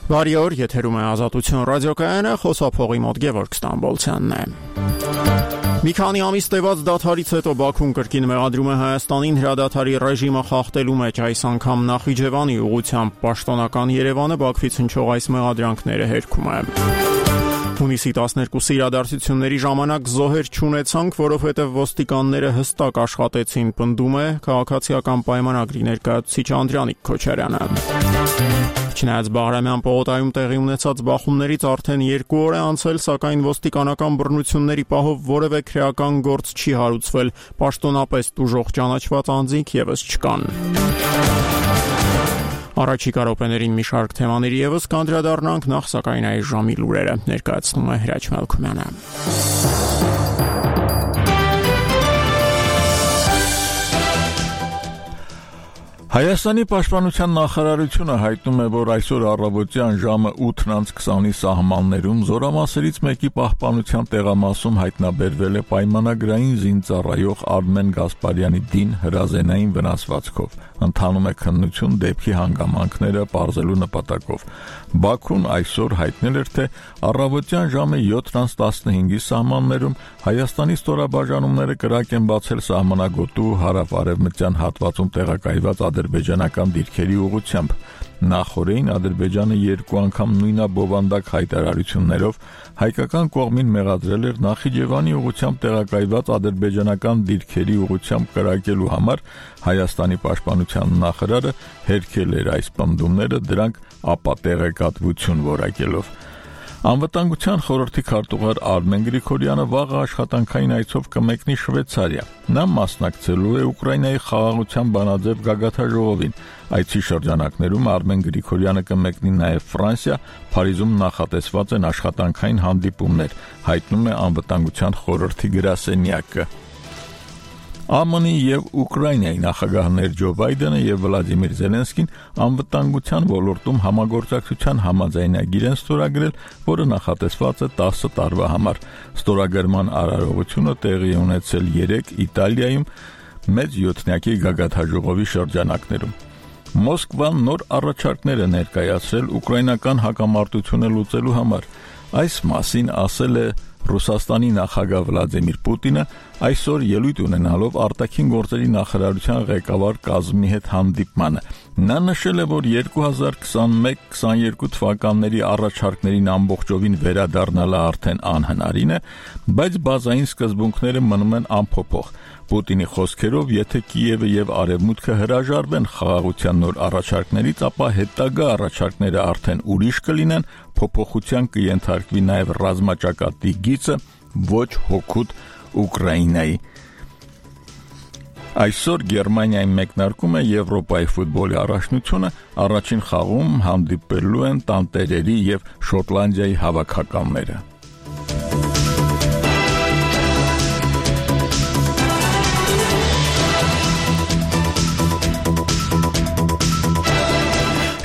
Բարի օր, եթերում է Ազատություն ռադիոկայանը, խոսափողի մոտ Գևորգ Ստամբոլցյանն է։ Մի քանի ամիս տևած դադարից հետո Բաքուն կրկին մեղադրում է Հայաստանին հրադադարի ռեժիմը խախտելու մեջ, այս անգամ Նախիջևանի ուղղությամբ պաշտոնական Երևանը Բաքվից հնչող այս մեղադրանքները հերքում է։ Հունիսի 12-ի իրադարձությունների ժամանակ զոհեր չունեցանք, որովհետև ոստիկանները հստակ աշխատեցին, պնդում է քաղաքացիական պայմանագրի ներկայացուցիչ Անդրանիկ Քոչարյանը։ Չնայած Բաղրամյան պողոտայում տեղի ունեցած բախումներից արդեն 2 օր է անցել, սակայն ոստիկանական բռնությունների պահով որևէ քրեական գործ չի հարուցվել, պաշտոնապես տուժող ճանաչված անձինք ևս չկան։ Առաջիկա րոպեներին մի շարք թեմաների ևս կանդրադառնանք, նախ սակայն այս ժամի լուրերը ներկայացնում է Հրաչ Մելքումյանը։ Հայաստանի պաշտպանության նախարարությունը հայտնում է, որ այսօր առավոտյան ժամը 8:20-ի սահմաններում զորամասերից մեկի պահպանության տեղամասում հայտնաբերվել է պայմանագրային զինծառայող Արմեն Գասպարյանի դին հրազենային վնասվածքով։ Ընթանում է քննություն դեպքի հանգամանքները պարզելու նպատակով։ Բաքուն այսօր հայտնել էր, թե առավոտյան ժամը 7:15-ի սահմաններում Հայաստանի ստորաբաժանումները կրակ են բացել սահմանագոտու հարավ-արևմտյան հատվածում տեղակայված ադրբեջանական դիրքերի ուղղությամբ։ Նախորդին Ադրբեջանը 2 անգամ նույնաբովանդակ հայտարարություններով հայկական կողմին մեղադրել էր Նախիջևանի ուղղությամբ տեղակայված ադրբեջանական դիրքերի ուղղությամբ կրակելու համար, Հայաստանի պաշտպանության նախարարը հերքել էր այս պնդումները, դրանք ապատեղեկատվություն որակելով։ Անվտանգության խորհրդի քարտուղար Արմեն Գրիգորյանը վաղը աշխատանքային այցով կմեկնի Շվեյցարիա։ Նա մասնակցելու է Ուկրաինայի խաղաղության բանաձև գագաթաժողովին։ Այցի շրջանակներում Արմեն Գրիգորյանը կմեկնի նաև Ֆրանսիա, Փարիզում նախատեսված են աշխատանքային հանդիպումներ, հայտնում է Անվտանգության խորհրդի գրասենյակը։ ԱՄՆ-ի եւ Ուկրաինայի նախագահներ Ջո Բայդենը եւ Վլադիմիր Զելենսկին անվտանգության ոլորտում համագործակցության համաձայնագիր են ստորագրել, որը նախատեսված է 10 տարվա համար։ Ստորագրման արարողությունը տեղի է ունեցել 3 Իտալիայում մեծ յոթնյակի գագաթաժողովի շրջանակներում։ Մոսկվան նոր առաջարկներ է ներկայացրել ուկրաինական հակամարտությունը լուծելու համար։ Այս մասին ասել է Ռուսաստանի նախագահ Վլադիմիր Պուտինը այսօր ելույթ ունենալով արտաքին գործերի նախարարության ղեկավար կազմի հետ հանդիպմանը։ Նա նշել է, որ 2021-22 թվականների առաջարկներին ամբողջովին վերադառնալը արդեն անհնարին է, բայց բազային սկզբունքները մնում են անփոփոխ։ Պուտինի խոսքերով, եթե Կիևը եւ Արևմուտքը հրաժարվեն խաղաղության նոր առաջարկներից, ապա հետագա առաջարկները արդեն ուրիշ կլինեն, փոփոխության կենթարկվի նաև ռազմաճակատի գիծը, ոչ հօգուտ Ուկրաինայի։ Այսօր Գերմանիայի մեկնարկում է Եվրոպայի ֆուտբոլի առաջնությունը, առաջին խաղում հանդիպելու են տանտերերի եւ Շոտլանդիայի հավաքականները։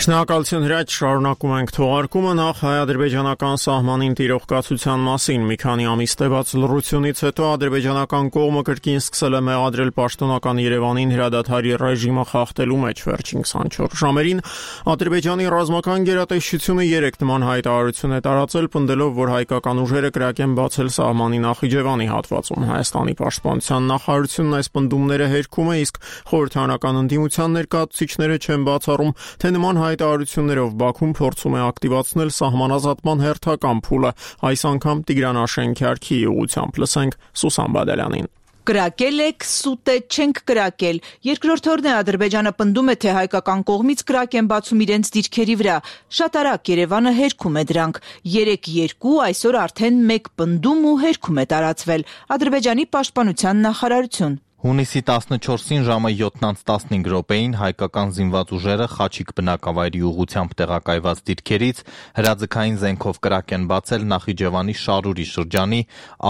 Շնորհակալություն Հրաչ, շարունակում ենք թողարկումը, նախ հայ-ադրբեջանական սահմանին տիրող կացության մասին։ Մի քանի ամիս տևած լռությունից հետո ադրբեջանական կողմը կրկին սկսել է մեղադրել պաշտոնական Երևանին հրադադարի ռեժիմը խախտելու մեջ վերջին 24 ժամերին։ Ադրբեջանի ռազմական գերատեսչությունը 3 նման հայտարարություն է տարածել, պնդելով, որ հայկական ուժերը կրակ են բացել սահմանի Նախիջևանի հատվածում։ Հայաստանի պաշտպանության նախարարությունն այս պնդումները հերքում է, իսկ խորհրդարանական ընդդիմության ներկայացուցիչները չեն բացառում, թե նման հայտարարություններով Բաքուն փորձում է ակտիվացնել սահմանազատման հերթական փուլը, այս անգամ Տիգրան Աշենքյարքի ուղղությամբ։ Լսենք Սուսան Բադալյանին։ Կրակել եք, սուտ է, չենք կրակել։ Երկրորդ օրն է Ադրբեջանը պնդում է, թե հայկական կողմից կրակ են բացում իրենց դիրքերի վրա։ Շատ արագ Երևանը հերքում է դրանք։ 3-2, այսօր արդեն 1 պնդում ու հերքում է տարածվել։ Ադրբեջանի պաշտպանության նախարարություն։ Հունիսի 14-ին ժամը 7:15 հայկական զինված ուժերը Խաչիկ բնակավայրի ուղղությամբ տեղակայված դիրքերից հրաձգային զենքով կրակ են բացել Նախիջևանի Շարուրի շրջանի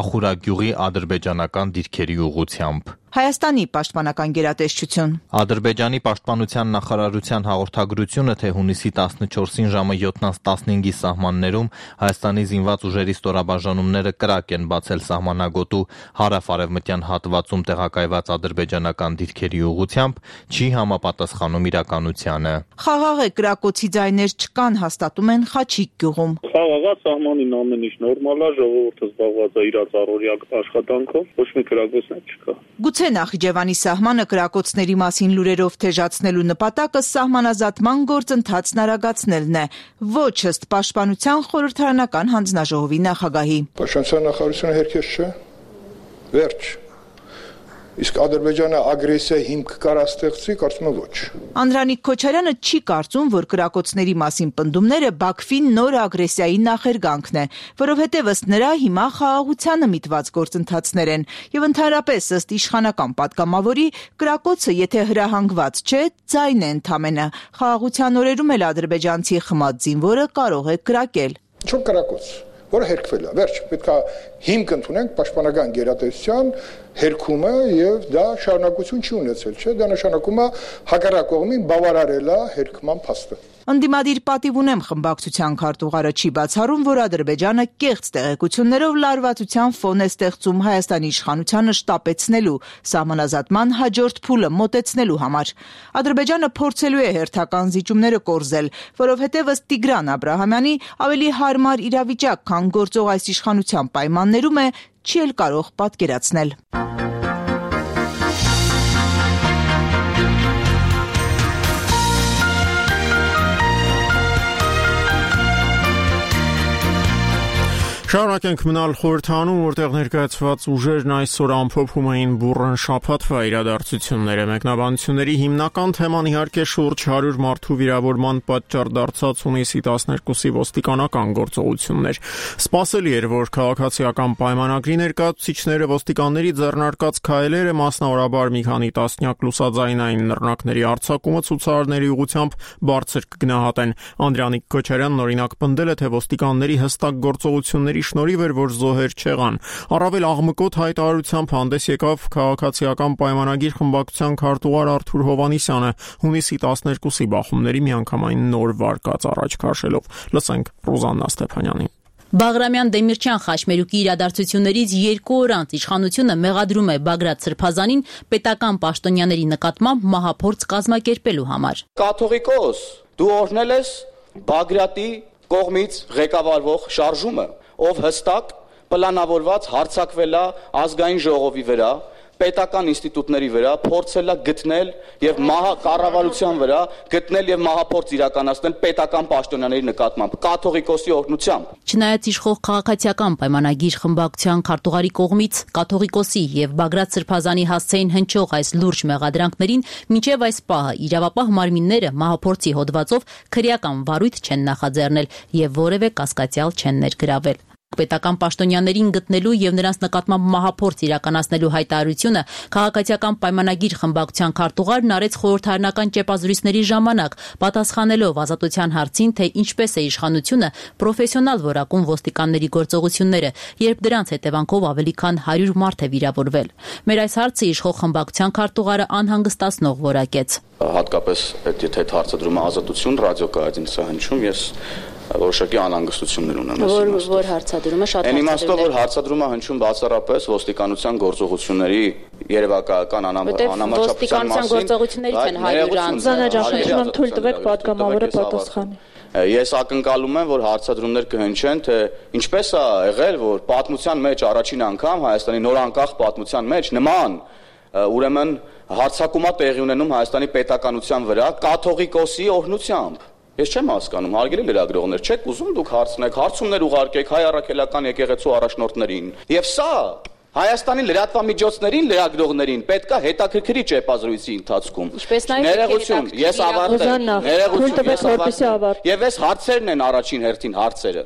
Ախուրագյուղի ադրբեջանական դիրքերի ուղղությամբ։ Հայաստանի պաշտպանական գերատեսչություն։ Ադրբեջանի պաշտպանության նախարարության հաղորդագրությունը, թե հունիսի 14-ին ժամը 7:15-ի սահմաններում Հայաստանի զինված ուժերի ստորաբաժանումները կրակ են բացել սահմանագոտու հարավ-արևմտյան հատվածում տեղակայված ադրբեջանական դիրքերի ուղղությամբ, չի համապատասխանում իրականությանը։ Խաղաղ է, կրակոցի ձայներ չկան, հաստատում են Խաչիկ գյուղում։ Խաղաղ սահմանին ամեն ինչ նորմալ է, ժողովուրդը զբաղված է իր առօրյա աշխատանքով, ոչ մի կրակոցներ չկա։ Գուցե Նախիջևանի սահմանը կրակոցների մասին լուրերով թեժացնելու նպատակը սահմանազատման գործընթացն արագացնելն է, ոչ ըստ պաշտպանության խորհրդարանական հանձնաժողովի նախագահի։ Պաշտպանության նախարարությունը հերքես չէ, վերջ։ Իսկ Ադրբեջանը ագրեսիա հիմք կարա ստեղծի, կարծում եմ ոչ։ Անդրանիկ Քոչարյանը չի կարծում, որ կրակոցների մասին պնդումները Բաքվին նոր ագրեսիայի նախերգանքն է, որովհետև ըստ նրա հիմա խաղաղությանը միտված գործընթացներ են, եւ ընդհանրապես ըստ իշխանական պատգամավորի կրակոցը եթե հրահանգված չէ, ձայն է ընդամենը։ Խաղաղության օրերում էլ ադրբեջանցի խմած զինվորը կարող է կրակել։ Ինչ կրակոց, որը հերքվել է, վերջ, պետք է հիմք ընդունենք պաշտպանական գերատեսչության հերքումը եւ դա շարունակություն չի ունեցել, չէ՞, դա նշանակում է հակառակ կողմին բավարարել է հերքման փաստը։ Ընդդիմադիր պատիվ ունեմ խմբակցության քարտուղարը չի բացառում, որ Ադրբեջանը կեղծ տեղեկություններով լարվածության ֆոն է ստեղծում Հայաստանի իշխանությանը շտապեցնելու, սահմանազատման հաջորդ փուլը մոտեցնելու համար։ Ադրբեջանը փորձելու է հերթական զիջումները կորզել, որովհետև ըստ Տիգրան Աբրահամյանի ավելի հարմար իրավիճակ, քան գործող այս իշխանության պայմաններում է, չի էլ կարող պատկերացնել։ Շարունակենք մնալ խորհրդանում, որտեղ ներկայացված ուժերն այսօր ամփոփում էին բուռն շաբաթվա իրադարձությունները։ Մեկնաբանությունների հիմնական թեման իհարկե շուրջ 100 մարդու վիրավորման պատճառ դարձած հունիսի 12-ի ոստիկանական գործողություններ։ Սպասելի էր, որ քաղաքացիական պայմանագրի ներկայացուցիչները ոստիկանների ձեռնարկած քայլերը, մասնավորաբար մի քանի տասնյակ լուսաձայնային նռնակների արձակումը ցուցարարների ուղղությամբ բարձր կգնահատեն։ Անդրանիկ Քոչարյանն օրինակ պնդել է, թե ոստիկանների հստակ գործողությունների շնորհիվ էր, որ զոհեր չեղան։ Առավել աղմկոտ հայտարարությամբ հանդես եկավ քաղաքացիական պայմանագիր խմբակցության քարտուղար Արթուր Հովհաննիսյանը հունիսի 12-ի բախումների միանգամայն նոր վարկած առաջ քաշելով։ Լսենք Ռուզաննա Ստեփանյանին։ Բաղրամյան Դեմիրճյան խաչմերուկի իրադարձություններից 2 օր անց իշխանությունը մեղադրում է Բագրատ Սրբազանին պետական պաշտոնյաների նկատմամբ մահափորձ կազմակերպելու համար։ Կաթողիկոս, դու օրհնել ես Բագրատի կողմից ղեկավարվող շարժումը, ով հստակ պլանավորված հարձակվել է ազգային ժողովի վրա, պետական ինստիտուտների վրա, փորձել է գտնել եւ կառավարության վրա գտնել եւ մահափորձ իրականացնել պետական պաշտոնյաների նկատմամբ կաթողիկոսի օրհնությամբ։ Չնայած իշխող քաղաքացիական պայմանագիր խմբակցության քարտուղարի կողմից կաթողիկոսի եւ Բագրատ Սրբազանի հասցեին հնչող այս լուրջ մեղադրանքներին, մինչեւ այս պահը իրավապահ մարմինները մահափորձի հոդվածով քրեական վարույթ չեն նախաձեռնել եւ որևէ կասկածյալ չեն ներգրավել։ Պետական պաշտոնյաներին գտնելու եւ նրանց նկատմամբ մահափորձ իրականացնելու հայտարարությունը քաղաքացիական պայմանագիր խմբակցության քարտուղարն արեց խորհրդարանական ճեպազրույցների ժամանակ, պատասխանելով ազատության հարցին, թե ինչպես է իշխանությունը պրոֆեսիոնալ որակում ոստիկանների գործողությունները, երբ դրանց հետևանքով ավելի քան 100 մարդ է վիրավորվել։ Մեր այս հարցը իշխող խմբակցության քարտուղարը անհանգստացնող որակեց։ Հատկապես եթե հարցադրումը ազատություն ռադիոկայանի սա հնչում, ես որոշակի անհանգստություններ ունեմ։ Որ հարցադրումը շատ այն իմաստով, որ հարցադրումը հնչում բացառապես ոստիկանության գործողությունների երևակայական անհամաչափության մասին։ Գործողություններից են 100 անձ։ Զանաջախնդրում եմ թույլ տվեք պատգամավորը պատասխանի։ Ես ակնկալում եմ, որ հարցադրումներ կհնչեն, թե ինչպես է եղել, որ պատմության մեջ առաջին անգամ Հայաստանի նոր անկախ պատմության մեջ նման ուրեմն հարձակումա տեղի ունենում Հայաստանի պետականության վրա կաթողիկոսի օրհնությամբ։ Ես չեմ հասկանում, հարգելի լրագրողներ, չեք ուզում դուք հարցնեք, հարցումներ ուղարկեք հայ առաքելական եկեղեցու առաջնորդներին։ Եվ սա Հայաստանի լրատվամիջոցներին, լրագրողներին պետք է հետաքրքրի ճեպազրույցի ընթացքում։ Ներողություն, ես ավարտեմ։ Եվ այս հարցերն են առաջին հերթին հարցերը։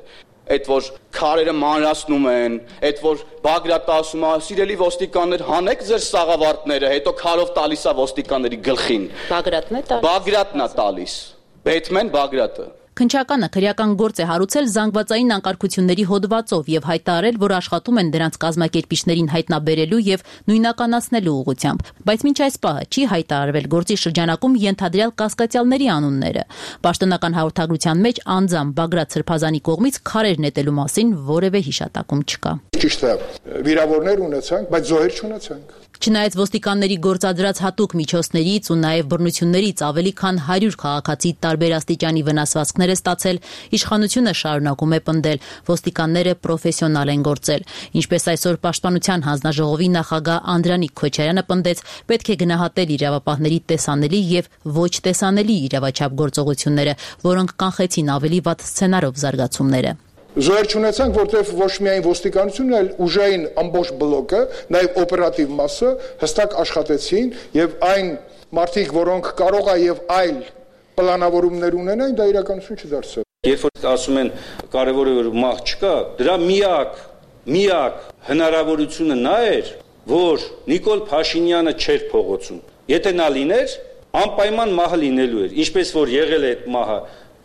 Այդ որ քարերը մանրացնում են, այդ որ Բագրատը ասում է, սիրելի ոստիկաններ, հանեք ձեր սաղավարտները, հետո քարով տալիս է ոստիկանների գլխին։ Բագրատն է տալիս։ Բագրատն է տալիս։ Բեթմեն Բագրատը։ Քննչականը քրեական գործ է հարուցել զանգվածային անկարգությունների հոդվածով եւ հայտարարել, որ աշխատում են դրանց կազմակերպիչներին հայտնաբերելու եւ նույնականացնելու ուղղությամբ, բայց մինչ այս պահը չի հայտարարվել գործի շրջանակում ենթադրյալ կասկածյալների անունները։ Պաշտոնական հաղորդագրության մեջ անձամբ Բագրատ Սրբազանի կողմից քարեր նետելու մասին որևէ հիշատակում չկա։ Ճիշտ է, վիրավորներ ունեցանք, բայց զոհեր չունեցանք։ Չնայած ոստիկանների գործադրած հատուկ միջոցներից ու նաև բռնություններից ավելի քան 100 քաղաքացի տարբեր աստիճանի վնասվածքներ է ստացել, իշխանությունը շարունակում է պնդել, ոստիկանները պրոֆեսիոնալ են գործել։ Ինչպես այսօր Պաշտպանության հանձնաժողովի նախագահ Անդրանիկ Քոչարյանը պնդեց, պետք է գնահատել իրավապահների տեսանելի եւ ոչ տեսանելի իրավաչափ գործողությունները, որոնք կանխեցին ավելի վատ սցենարով զարգացումները։ Զոհեր չունեցանք, որտեղ ոչ միայն ոստիկանությունն, այլ ուժային ամբողջ բլոկը, նաև օպերատիվ մասը հստակ աշխատեցին եւ այն մարդիկ, որոնք կարող է եւ այլ պլանավորումներ ունենային, դա իրականություն չդարձավ։ Երբ որ ասում են կարևոր է որ մահ չկա, դրա միակ հնարավորությունը նա էր, որ Նիկոլ Փաշինյանը չէր փողոցում։ Եթե նա լիներ, անպայման մահը լինելու էր, ինչպես որ եղել է այդ մահը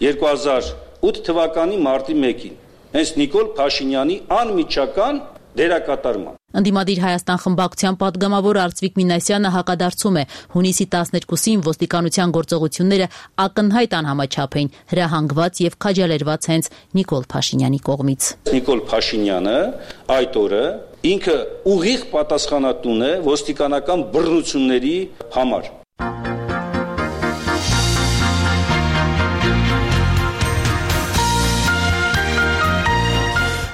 2008 թվականի մարտի 1-ին։ Հենց Նիկոլ Փաշինյանի անմիջական դերակատարման։ Ընդդիմադիր Հայաստան խմբակցության պատգամավոր Արծվիկ Մինասյանը հակադարձում է, հունիսի 12-ին ոստիկանության գործողությունները ակնհայտ անհամաչափ էին, հրահանգված եւ քաջալերված հենց Նիկոլ Փաշինյանի կողմից։ Նիկոլ Փաշինյանը այդ օրը ինքը ուղիղ պատասխանատուն է ոստիկանական բռնությունների համար։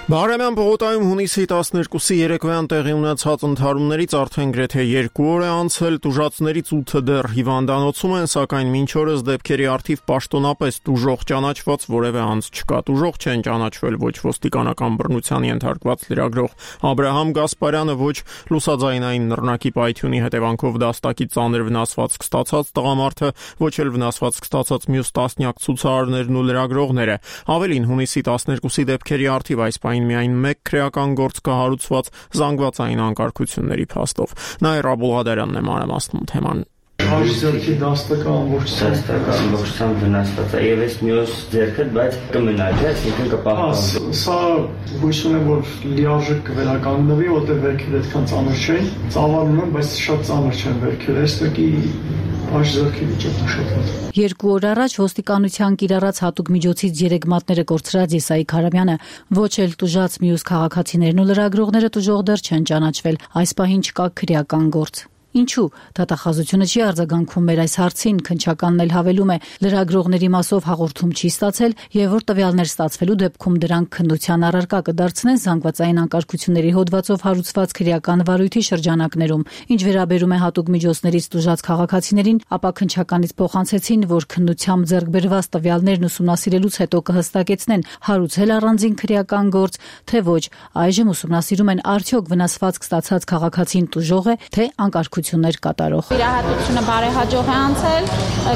Բահարամյան պողոտայում հունիսի 12-ի երեկոյան տեղի ունեցած ընդհարումներից արդեն գրեթե 2 օր է անցել, տուժածներից 8-ը դեռ հիվանդանոցում են, սակայն մինչ օրս դեպքերի առթիվ պաշտոնապես տուժող ճանաչված որևէ անձ չկա։ Տուժող չեն ճանաչվել ոչ ոստիկանական բռնության ենթարկված լրագրող Աբրահամ Գասպարյանը, ոչ լուսաձայնային նռնակի պայթյունի հետևանքով դաստակի ծանր վնասվածք ստացած տղամարդը, ոչ էլ վնասվածք ստացած մյուս տասնյակ ցուցարարներն ու լրագրողները։ Ավելին, հունիսի 12-ի դեպքերի առթիվ այս միայն մեկ քրեական գործ կա հարուցված զանգվածային անկարգությունների փաստով։ Նաիր Աբուլղադարյանն է մանրամասնում թեման։ Ձերքի դաստակը ամբողջությամբ վնասված է եւ այս մյուս ձերքը, բայց կմնա, չէ՞, այսինքն կպահպանվի։ Սա հույս ունեմ, որ լիարժեք կվերականգնվի, որտեղ վերքերը այդքան ծանր չեն, ծավալում են, բայց շատ ծանր չեն վերքերը, այստեղի այս ձերքի վիճակն շատ վատ։ 2 օր առաջ ոստիկանության կիրառած հատուկ միջոցից 3 մատները կորցրած Եսայիկ Հարամյանը ոչ էլ տուժած մյուս քաղաքացիներն ու լրագրողները տուժող դեռ չեն ճանաչվել, այս պահին չկա քրեական գործ։ Ինչու դատախազությունը չի արձագանքում մեր այս հարցին, քննչականն էլ հավելում է, լրագրողների մասով հաղորդում չի ստացել եւ որ տվյալներ ստացվելու դեպքում դրանք քննության առարկա կդարձնեն զանգվածային անկարգությունների հոդվածով հարուցված քրեական վարույթի շրջանակներում։ Ինչ վերաբերում է հատուկ միջոցներից տուժած քաղաքացիներին, ապա քննչականից փոխանցեցին, որ քննությամբ ձեռք բերված տվյալներն ուսումնասիրելուց հետո կհստակեցնեն հարուցել առանձին քրեական գործ, թե ոչ, այժմ ուսումնասիրում են արդյոք վնասվածք ստացած քաղաքացին տուժող է, թե անկարգություններ կատարող։ Վիրահատությունը բարեհաջող է անցել,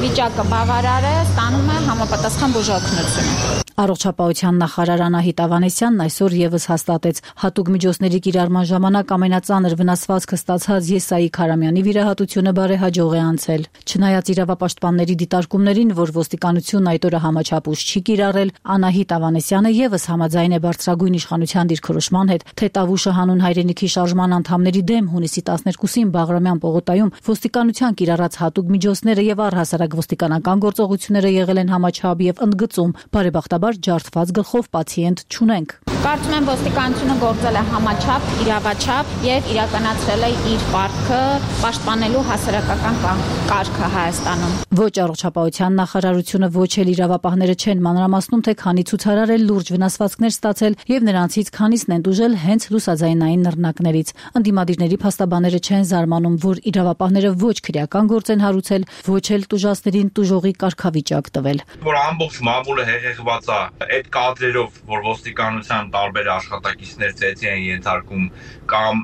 վիճակը բավարար է, ստանում է համապատասխան բուժօգնություն։ Առողջապահության նախարար Անահիտ Ավանեսյանն այսօր եւս հաստատեց, հատուկ միջոցների կիրառման ժամանակ ամենածանր վնասվածքը ստացած Եսայիկ Հարամյանի վիրահատությունը բարեհաջող է անցել։ Չնայած իրավապաշտպանների դիտարկումներին, որ ոստիկանությունն այդ օրը համաչափ ուժ չի կիրառել, Անահիտ Ավանեսյանը եւս համաձայն է բարձրագույն իշխանության դիրքորոշման հետ, թե Տավուշը հանուն հայրենիքի շարժման անդամների դեմ հունիսի 12-ին Բաղրամյան պողոտայում ոստիկանության կիրառած հատուկ միջոցները եւ առհասարակ ոստիկանական գործողությունները եղել են համաչափ եւ ընդգծում, բարեբախտաբար ջարդված գլխով պացիենտ չունենք։ Կարծում եմ ոստիկանությունը գործել է համաչափ, իրավաչափ եւ իրականացրել է իր պարտքը պաշտպանելու հասարակական կարգը Հայաստանում։ Ոչ առողջապահության նախարարությունը, ոչ էլ իրավապահները չեն մանրամասնում, թե քանի ցուցարար է լուրջ վնասվածքներ ստացել եւ նրանցից քանիսն են տուժել հենց լուսաձայնային նռնակներից։ Ընդդիմադիրների փաստաբանները չեն զարմանում, որ իրավապահները ոչ քրեական գործ են հարուցել, ոչ էլ տուժածներին տուժողի կարգավիճակ տվել։ Որ ամբողջ մամուլը հեղեղված է այդ կադրերով, որ ոստիկանության տարբեր աշխատակիցներ ծեծի են ենթարկում, կամ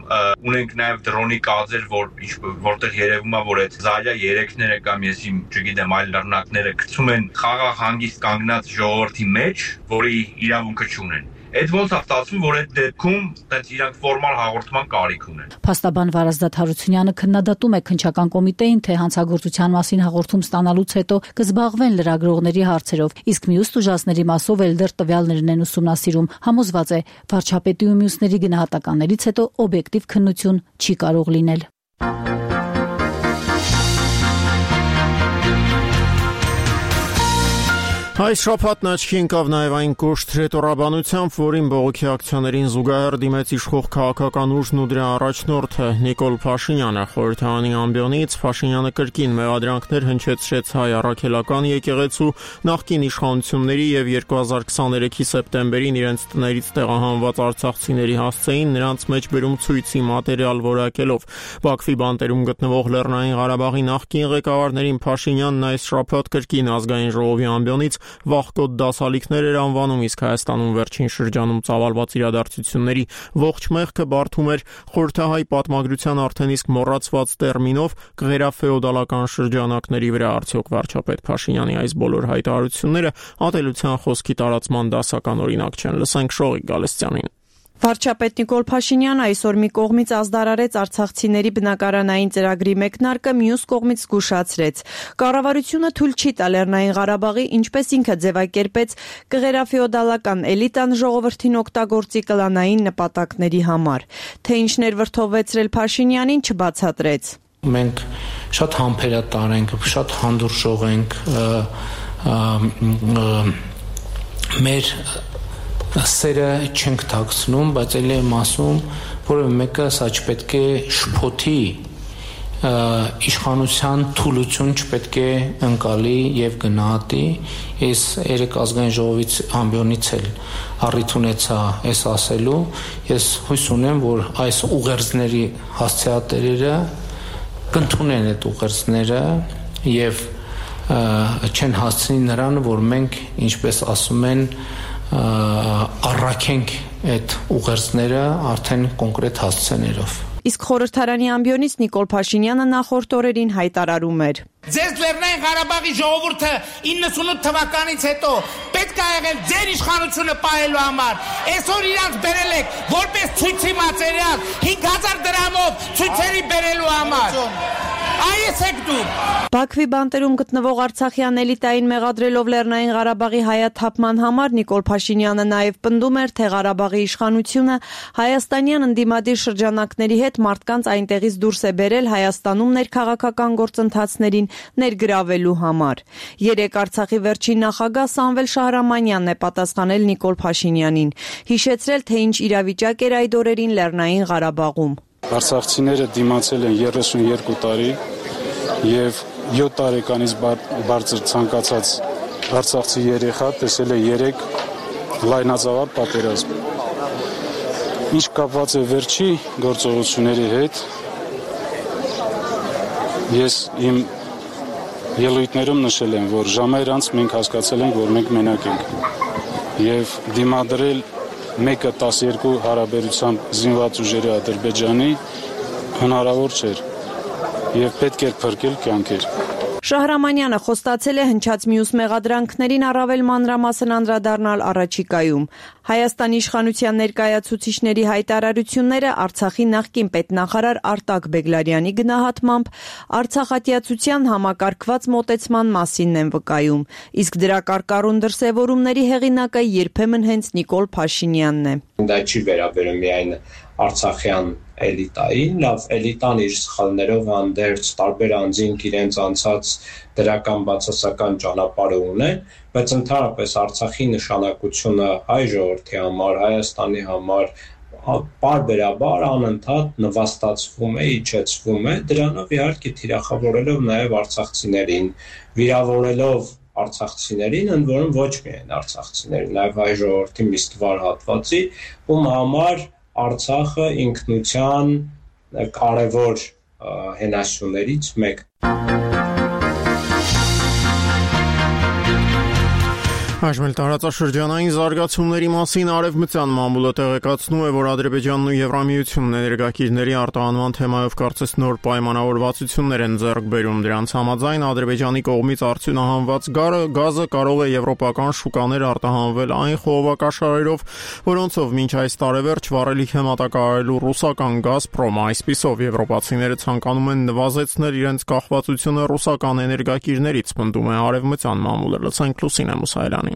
ունենք նաև դրոնի կադրեր, որտեղ երևում է, որ այդ Զարյա 3-ները կամ ես չգիտեմ այլ լեռնակները գցում են խաղաղ հանգիստ կանգնած ժողովրդի մեջ, որի իրավունքը չունեն։ Այդ ոնց է ստացվում, որ այդ դեպքում տենց իրանք ֆորմալ հաղորդման կարիք ունեն։ Փաստաբան Վարազդատ Հարությունյանը քննադատում է քննչական կոմիտեին, թե հանցագործության մասին հաղորդում ստանալուց հետո կզբաղվեն լրագրողների հարցերով, իսկ մյուս տուժածների մասով էլ դեռ տվյալներն են ուսումնասիրում։ Համոզված է, վարչապետի ու մյուսների գնահատականներից հետո օբյեկտիվ քննություն չի կարող լինել։ Այս շաբաթն աչքի ընկավ նաև այն կոշտ հրետորաբանությամբ, որին բողոքի ակցիաներին զուգահեռ դիմեց իշխող քաղաքական ուժն ու դրա առաջնորդը Նիկոլ Փաշինյանը։ Խորհրդարանի ամբիոնից Փաշինյանը կրկին մեղադրանքներ հնչեցրեց հայ առաքելական եկեղեցու նախկին իշխանությունների եւ 2023-ի սեպտեմբերին իրենց տներից տեղահանված արցախցիների հասցեին նրանց մեջ բերում ցույցի մատերիալ որակելով։ Բաքվի բանտերում գտնվող Լեռնային Ղարաբաղի նախկին ղեկավարներին Փաշինյանն այս շաբաթ կրկին ազգային ժողովի ամբիոնից վախկոտ դասալիքներ էր անվանում, իսկ Հայաստանում վերջին շրջանում ծավալված իրադարձությունների ողջ մեղքը բարդում էր խորհրդահայ պատմագրության արդեն իսկ մոռացված տերմինով կղերաֆեոդալական շրջանակների վրա։ Արդյոք վարչապետ Փաշինյանի այս բոլոր հայտարարությունները ատելության խոսքի տարածման դասական օրինակ չեն։ Լսենք Շողիկ Գալստյանին։ Վարչապետ Նիկոլ Փաշինյանը այսօր մի կողմից ազդարարեց արցախցիների բնակարանային ծրագրի մեկնարկը, մյուս կողմից զգուշացրեց։ Կառավարությունը թույլ չի տա Լեռնային Ղարաբաղի, ինչպես ինքը ձևակերպեց, կղերաֆեոդալական էլիտան ժողովրդին օգտագործի կլանային նպատակների համար։ Թե ինչներ վրդովվեցրել Փաշինյանին, չբացատրեց։ Մենք շատ համբերատար ենք, շատ հանդուրժող ենք, մեր սերը չենք թաքցնում, բայց էլ եմ ասում, որևէ մեկը սա չպետք է շփոթի, իշխանության թուլություն չպետք է ընկալի եւ գնահատի։ Ես երեք ազգային ժողովից ամբիոնից էլ առիթ ունեցա այս ասելու։ Ես հույս ունեմ, որ այս ուղերձների հասցեատերերը կընդունեն այդ ուղերձները եւ չեն հասցնի նրան, որ մենք, ինչպես ասում են, առաքենք այդ ուղերձները արդեն կոնկրետ հասցեներով։ Իսկ խորհրդարանի ամբիոնից Նիկոլ Փաշինյանը նախորդ օրերին հայտարարում էր. Ձեր Լեռնային Ղարաբաղի ժողովուրդը 98 թվականից հետո պետք է եղել ձեր իշխանությունը պահելու համար։ Այսօր իրանք բերել եք որպես ցույցի մատերիալ 5000 դրամով ցույցերի բերելու համար։ Այս եք դուք։ Բաքվի բանտերում գտնվող արցախյան էլիտային մեղադրելով Լեռնային Ղարաբաղի հայաթափման համար Նիկոլ Փաշինյանը նաև պնդում էր, թե Ղարաբաղի իշխանությունը հայաստանյան ընդդիմադիր շրջանակների հետ մարդկանց այնտեղից դուրս է բերել Հայաստանում ներքաղաքական գործընթացներին ներգրավելու համար։ Երեք Արցախի վերջին նախագահ Սամվել Շահրամանյանն է պատասխանել Նիկոլ Փաշինյանին, հիշեցրել, թե ինչ իրավիճակ էր այդ օրերին Լեռնային Ղարաբաղում։ Արցախցիները դիմացել են 32 տարի եւ 7 տարեկանից բարձր ցանկացած արցախցի երեխա տեսել է 3 լայնածավալ պատերազմ։ Ինչ կապված է վերջի գործողությունների հետ, ես իմ ելույթներում նշել եմ, որ ժամեր անց մենք հասկացել ենք, որ մենք մենակ ենք եւ դիմադրել 1-12 հարաբերությամբ զինված ուժերի Ադրբեջանի հնարավոր չէր եւ պետք էր փրկել կյանքեր։ Շահրամանյանը խոստացել է հնչած մյուս մեղադրանքներին առավել մանրամասն անդրադառնալ առաջիկայում։ Հայաստանի իշխանության ներկայացուցիչների հայտարարությունները Արցախի նախկին պետնախարար Արտակ Բեգլարյանի գնահատմամբ արցախատյացության համակարգված մոտեցման մասինն են վկայում, իսկ դրա կարկառուն դրսևորումների հեղինակը երբեմն հենց Նիկոլ Փաշինյանն է։ Դա չի վերաբերում միայն արցախյան էլիտային, լավ, էլիտան իր սխալներով հանդերձ տարբեր անձինք իրենց անցած դրական բացասական ճանապարհը ունեն, բայց ընդհանրապես Արցախի նշանակությունը հայ ժողովրդի համար, Հայաստանի համար պարբերաբար անընդհատ նվաստացվում է, իջեցվում է, դրանով իհարկե թիրախավորելով նաև արցախցիներին, վիրավորելով արցախցիներին, ընդ որում ոչ միայն արցախցիներին, նաև հայ ժողովրդի մի ստվար հատվածի, ում համար Արցախը ինքնության կարևոր հենասյուներից մեկ։ Այժմ տարածաշրջանային զարգացումների մասին Արևմտյան մամուլը տեղեկացնում է, որ Ադրբեջանն ու Եվրամիությունն էներգակիրների արտահանման թեմայով կարծես նոր պայմանավորվածություններ են ձեռք բերում։ Դրանց համաձայն Ադրբեջանի կողմից արդյունահանված գազը կարող է եվրոպական շուկաներ արտահանվել այն խողովակաշարերով, որոնցով մինչ այս տարեվերջ վառելիք է մատակարարելու ռուսական «Գազպրոմը»։ Այսպիսով եվրոպացիները ցանկանում են նվազեցնել իրենց կախվածությունը ռուսական էներգակիրներից, պնդում է Արևմտյան մամուլը։ Լսենք Լուսինե Մուսայելյանին։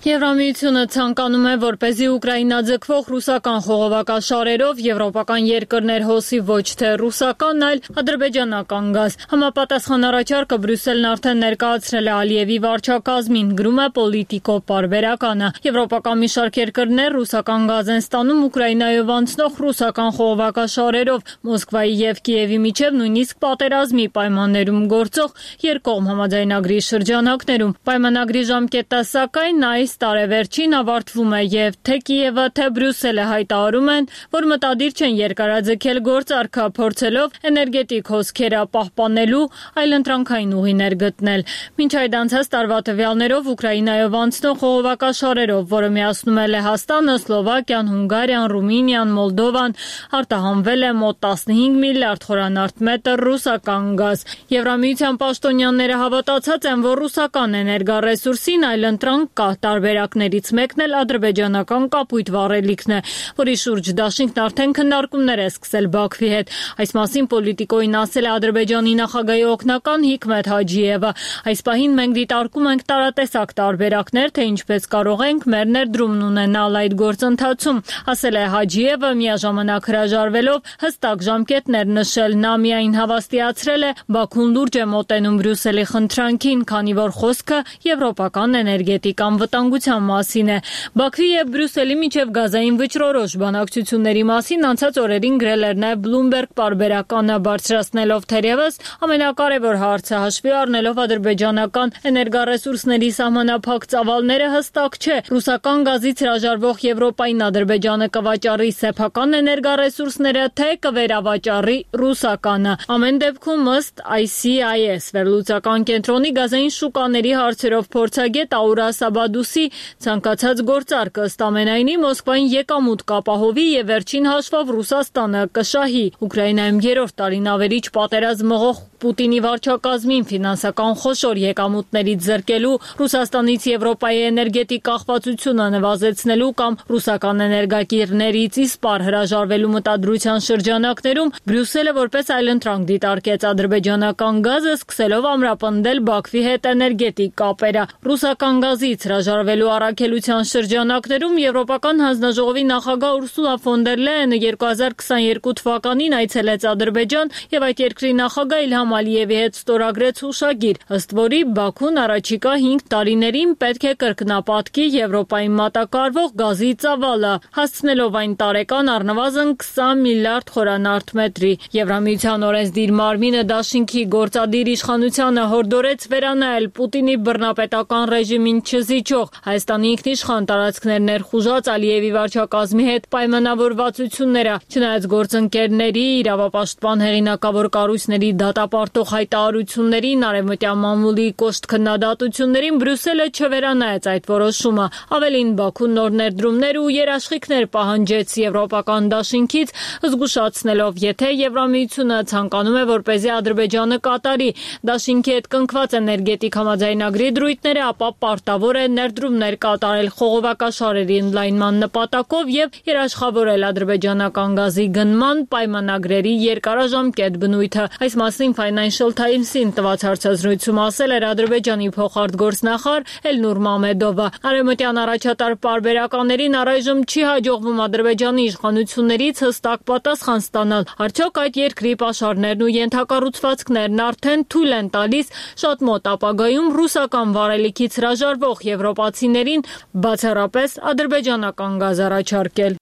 Եվրամիությունը ցանկանում է, որպեսզի Ուկրաինա ձգվող ռուսական խողովակաշարերով եվրոպական երկրներ հոսի ոչ թե ռուսական, այլ ադրբեջանական գազ։ Համապատասխան առաջարկը Բրյուսելն արդեն ներկայացրել է Ալիևի վարչակազմին, գրում է Պոլիտիկո պարբերականը։ Եվրոպական մի շարք երկրներ ռուսական գազ են ստանում Ուկրաինայով անցնող ռուսական խողովակաշարերով, Մոսկվայի եւ Կիևի միջև նույնիսկ պատերազմի պայմաններում գործող երկկողմ համաձայնագրի շրջանակներում։ Պայմանագրի ժամկետը սակայն այս տարեվերջին ավարտվում է եւ թե Կիևը, թե Բրյուսելը հայտարարում են, որ մտադիր չեն երկարաձգել գործարքը, փորձելով էներգետիկ հոսքերը պահպանելու այլընտրանքային ուղիներ գտնել։ Մինչ այդ անցած տարվա տվյալներով Ուկրաինայով անցնող խողովակաշարերով, որը միացնում է Լեհաստանը, Սլովակիան, Հունգարիան, Ռումինիան, Մոլդովան, արտահանվել է մոտ 15 միլիարդ խորանարդ մետր ռուսական գազ։ Եվրամիության պաշտոնյաները հավատացած են, որ ռուսական էներգառեսուրսին այլընտրանք կա։ Տարբերակներից մեկն էլ ադրբեջանական կապույտ վառելիքն է, որի շուրջ դաշինքն արդեն քննարկումներ է սկսել Բաքվի հետ։ Այս մասին Պոլիտիկոին ասել է Ադրբեջանի նախագահի օգնական Հիկմետ Հաջիևը։ Այս պահին մենք դիտարկում ենք տարատեսակ տարբերակներ, թե ինչպես կարող ենք մեր ներդրումն ունենալ այդ գործընթացում, ասել է Հաջիևը, միաժամանակ հրաժարվելով հստակ ժամկետներ նշել։ Նա միայն հավաստիացրել է Բաքուն լուրջ է մոտենում Բրյուսելի խնդրանքին, քանի որ խոսքը եվրոպական էներգետիկ անվտանգության մասին է։ Բաքվի եւ Բրյուսելի միջև գազային վճռորոշ բանակցությունների մասին անցած օրերին գրել էր նաեւ Bloomberg պարբերականը, բարձրացնելով թերևս ամենակարևոր հարցը հաշվի առնելով ադրբեջանական էներգառեսուրսների սահմանափակ ծավալները հստակ չէ։ Ռուսական գազից հրաժարվող Եվրոպային Ադրբեջանը կվաճառի սեփական էներգառեսուրսները, թե կվերավաճառի ռուսականը։ Ամեն դեպքում ըստ ICIS վերլուծական կենտրոնի գազային շուկաների հարցերով փորձագետ Աուրա Սաբադուսի ցանկացած գործարք ըստ ամենայնի Մոսկվային եկամուտ կապահովի եւ վերջին հաշվով Ռուսաստանը կշահի։ Ուկրաինայում երրորդ տարին ավերիչ պատերազմ մղող Պուտինի վարչակազմին ֆինանսական խոշոր եկամուտներից զրկելու, Ռուսաստանից Եվրոպայի էներգետիկ կախվածությունը նվազեցնելու կամ ռուսական էներգակիրներից իսպառ հրաժարվելու մտադրության շրջանակներում Բրյուսելը որպես այլընտրանք դիտարկեց ադրբեջանական գազը, սկսելով ամրապնդել Բաքվի հետ էներգետիկ կապերը։ Ռուսական գազից հրաժարվելու առաքելության շրջանակներում Եվրոպական հանձնաժողովի նախագահ Ուրսուլա ֆոն դեր Լեյենը 2022 թվականին այցելեց Ադրբեջան եւ այդ երկրի նախագահ Իլհամ Ալիևի հետ ստորագրեց հուշագիր, ըստ որի Բաքուն առաջիկա 5 տարիներին պետք է կրկնապատկի Եվրոպային մատակարարվող գազի ծավալը, հասցնելով այն տարեկան առնվազն 20 միլիարդ խորանարդ մետրի։ Եվրամիության օրենսդիր մարմինը դաշինքի գործադիր իշխանությանը հորդորեց վերանայել Պուտինի բռնապետական ռեժիմին չզիջող Հայաստանի ինքնիշխան տարածքներ ներխուժած Ալիևի վարչակազմի հետ պայմանավորվածությունները, չնայած գործընկերների, իրավապաշտպան հեղինակավոր կառույցների դատապարտող հայտարարություններին, արևմտյան մամուլի կոշտ քննադատություններին Բրյուսելը չվերանայեց այդ որոշումը։ Ավելին, Բաքուն նոր ներդրումներ ու երաշխիքներ պահանջեց եվրոպական դաշինքից, զգուշացնելով, եթե Եվրամիությունը ցանկանում է, որպեսզի Ադրբեջանը կատարի դաշինքի հետ կնքված էներգետիկ համաձայնագրի դրույթները, ապա պարտավոր է ներդրումներ կատարել խողովակաշարերի ընդլայնման նպատակով եւ երաշխավորել ադրբեջանական գազի գնման պայմանագրերի երկարաժամկետ բնույթը։ Այս մասին Financial Times-ին տված հարցազրույցում ասել էր Ադրբեջանի փոխարտգործնախարար Էլնուր Մամեդովը։ Արևմտյան առաջատար պարբերականներին առայժմ չի հաջողվում Ադրբեջանի իշխանություններից հստակ պատասխան ստանալ։ Արդյոք այդ երկրի պաշարներն ու ենթակառուցվածքներն արդեն թույլ են տալիս շատ մոտ ապագայում ռուսական վառելիքից հրաժարվող եվրոպացիներին բացառապես ադրբեջանական գազ առաջարկել։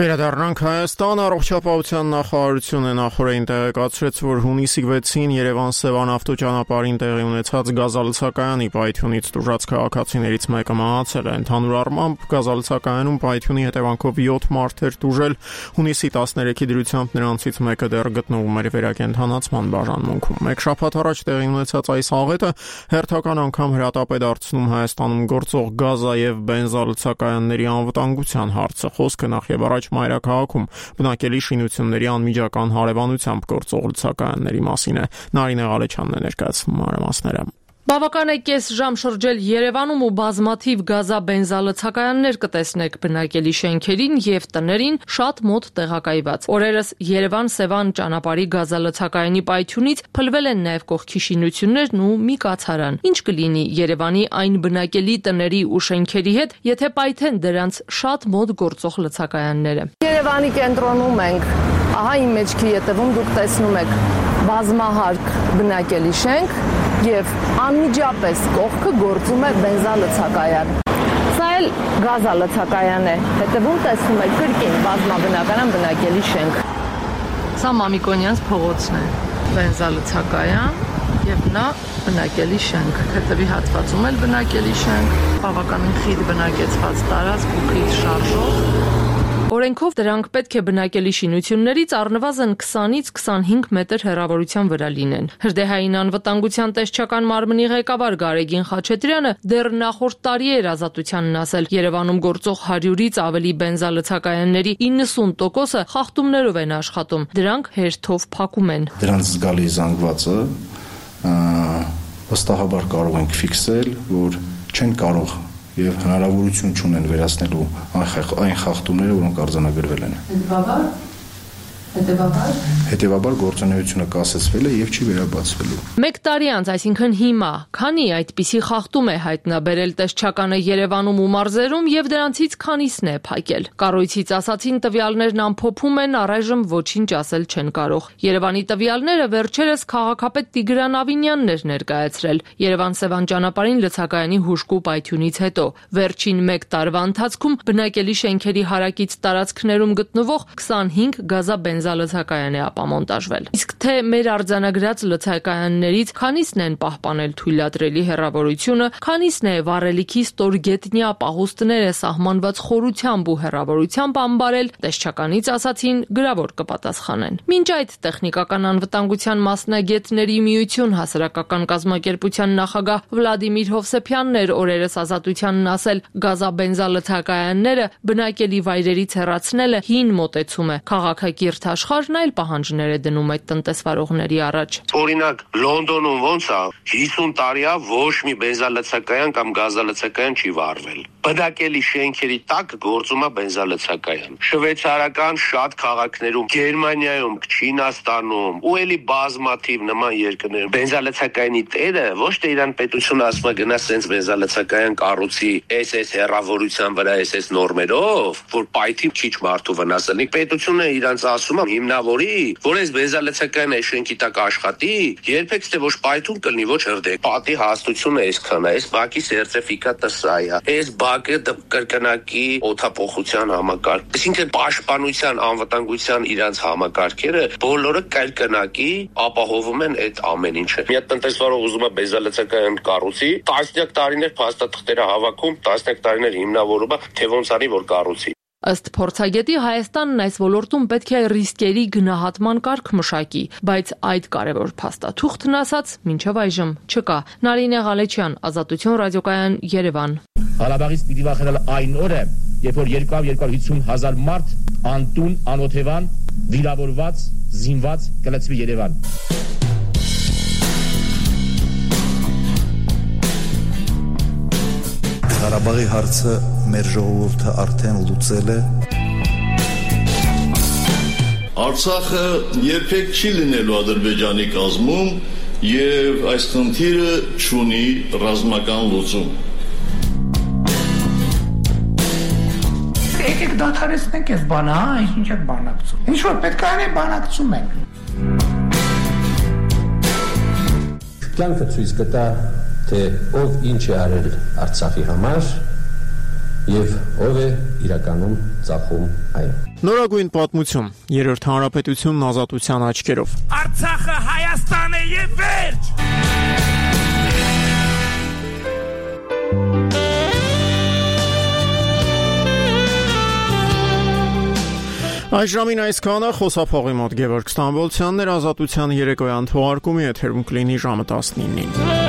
Վերադառնանք Հայաստան. Առողջապահության նախարարությունը նախորդին տեղեկացրեց, որ հունիսի 6-ին Երևան-Սևան ավտոճանապարհին տեղի ունեցած գազալցակայանի պայթյունից տուժած քաղաքացիներից մեկը մահացել է։ Ընդհանուր առմամբ գազալցակայանում պայթյունի հետևանքով 7 մարդ էր տուժել։ Հունիսի 13-ի դրությամբ նրանցից մեկը դեռ գտնվում էր վերակենդանացման բաժանմունքում։ Մեկ շաբաթ առաջ տեղի ունեցած այս աղետը հերթական անգամ հրատապ է դարձնում Հայաստանում գործող գազա եւ բենզալցակայանների անվտանգության հարցը։ Խոսքը նախ եւ առաջ մայրաքաղաքում բնակելի շինությունների անմիջական հարևանությամբ գործող լցակայանների մասին է։ Նարինե Ղալեչյանն է ներկայացնում մանրամասները։ Բավական է կես ժամ շրջել Երևանում ու բազմաթիվ գազա-բենզալցակայաններ կտեսնեք բնակելի շենքերին եւ տներին շատ մոտ տեղակայված։ Օրերս Երևան-Սևան ճանապարհի գազալցակայանի պայթյունից փլվել են նաեւ կողքի շինություններն ու մի կացարան։ Ինչ կլինի Երևանի այն բնակելի տների ու շենքերի հետ, եթե պայթեն դրանց շատ մոտ գործող լցակայանները։ Երևանի կենտրոնում ենք։ Ահա իմ մեջքի ետևում դուք տեսնում եք բազմահարկ բնակելի շենք եւ անմիջապես կողքը գործում է բենզալցակայան։ Սա էլ գազալցակայան է։ Հետևում տեսնում եք կրկին բազմաբնական բնակելի շենք։ Սա Մամիկոնյանց փողոցն է։ Բենզալցակայան եւ նա բնակելի շենք։ Հետևի հատվածում էլ բնակելի շենք, բավականին խիտ բնակեցված տարածք ու խիտ շարժող։ Օրենքով դրանք պետք է բնակելի շինություններից առնվազն 20-ից 25 մետր հեռավորության վրա լինեն։ Հրդեհային անվտանգության տեսչական մարմնի ղեկավար Գարեգին Խաչատրյանը դեռ նախորդ տարի էր Ազատությանն ասել, Երևանում գործող 100-ից ավելի բենզալցակայանների 90%-ը խախտումներով են աշխատում։ Դրանք հերթով փակում են։ Դրանց զգալի զանգվածը վստահաբար կարող ենք ֆիքսել, որ չեն կարող եւ հնարավորություն չունեն վերացնելու այն խախտումները, որոնք արձանագրվել են։ Հետևաբար գործունեությունը կասեցվել է եւ չի վերաբացվելու։ Մեկ տարի անց, այսինքն հիմա, քանի այդպիսի խախտում է հայտնաբերել տեսչականը Երևանում ու մարզերում եւ դրանցից քանիսն է փակել։ Կառույցից ասացին տվյալներն ամփոփում են, առայժմ ոչինչ ասել չեն կարող։ Երևանի տվյալները վերջերս քաղաքապետ Տիգրան Ավինյանն էր ներկայացրել Երևան-Սևան ճանապարհին լցակայանի հուժկու պայթյունից հետո։ Վերջին մեկ տարվա ընթացքում բնակելի շենքերի հարակից տարածքներում գտնվող 25 գազա-բենզալցակայան է ապամոնտաժվել։ Իսկ թե մեր արձանագրած լցակայաններից քանիսն են պահպանել թույլատրելի հեռավորությունը, քանիսն է վառելիքի ստորգետնյա պահուստները սահմանված խորությամբ ու հեռավորությամբ ամբարել, տեսչականից ասացին գրավոր կպատասխանեն։ Մինչ այդ տեխնիկական անվտանգության մասնագետների միություն հասարակական կազմակերպության նախագահ Վլադիմիր Հովսեփյանն էր օրերս Ազատությանն ասել, գազա-բենզալցակայանները բնակելի վայրերից հեռացնելը հին մոտեցում է։ Քաղաքակիրթ աշխարհն այլ պահանջներ է դնում այդ տնտեսվարողների առաջ։ Օրինակ Լոնդոնում ոնց է 50 տարի է ոչ մի բենզալցակայան կամ գազալցակայան չի վառվել։ Բնակելի շենքերի տակ գործում է բենզալցակայան։ Շվեյցարական շատ քաղաքներում, Գերմանիայում, Չինաստանում ու էլի բազմաթիվ նման երկրներում բենզալցակայանի տերը ոչ թե իրան պետությունը ասում է գնա սենց բենզալցակայան կառուցի SS հեռավորության վրա SS նորմերով, որ պայթի քիչ մարդու վնասելնի։ Պետությունը իրանց ասում է հիմնավորի, որ այս բենզալցակայանը շենքի տակ աշխատի, երբեք թե ոչ պայթուն կլինի, ոչ հրդեհ։ Պատի հաստությունը այսքան է, այս բակի սերտիֆիկատը սա է, այս բակը կրկնակի օդափոխության համակարգ։ Այսինքն պաշտպանության, անվտանգության իրանց համակարգերը բոլորը կրկնակի ապահովում են այդ ամեն ինչը։ Մի հատ տնտեսվարող ուզում է բենզալցակայան կառուցի, տասնյակ տարիներ փաստաթղթերը հավաքում, տասնյակ տարիներ հիմնավորում է, թե ոնց անի որ կառուցի։ Ըստ փորձագետի Հայաստանն այս ոլորտում պետք է ռիսկերի գնահատման կարգ մշակի, բայց այդ կարևոր փաստաթուղթն ասած մինչև այժմ չկա։ Նարինե Ղալեչյան, Ազատություն ռադիոկայան, Երևան։ Ղարաբաղից պիտի վախենալ այն օրը, երբ որ 250,000 մարդ անտուն, անօթևան, վիրավորված, զինված կլցվի Երևան։ Ղարաբաղի հարցը մեր ժողովուրդը արդեն լուծել է։ Արցախը երբեք չի լինելու Ադրբեջանի կազմում եւ այս խնդիրը չունի ռազմական լուծում։ Եկեք դադարեցնենք այս բանը, ինչ եք բանակցում։ Ինչ որ պետք է անենք, բանակցում ենք։ Կյանքը ցույց կտա, թե ով ինչ է արել Արցախի համար եւ ով է իրականում ծախում այն։ Նորագույն պատմություն, երրորդ հանրապետությունն ազատության աչքերով։ Արցախը Հայաստան է եւ վերջ։ Այս ժամին այսքանը խոսափողի մոտ Գևորգ Ստամբոլցյանն էր, ազատության երեկոյան թողարկումի եթերում կլինի ժամը 19-ին։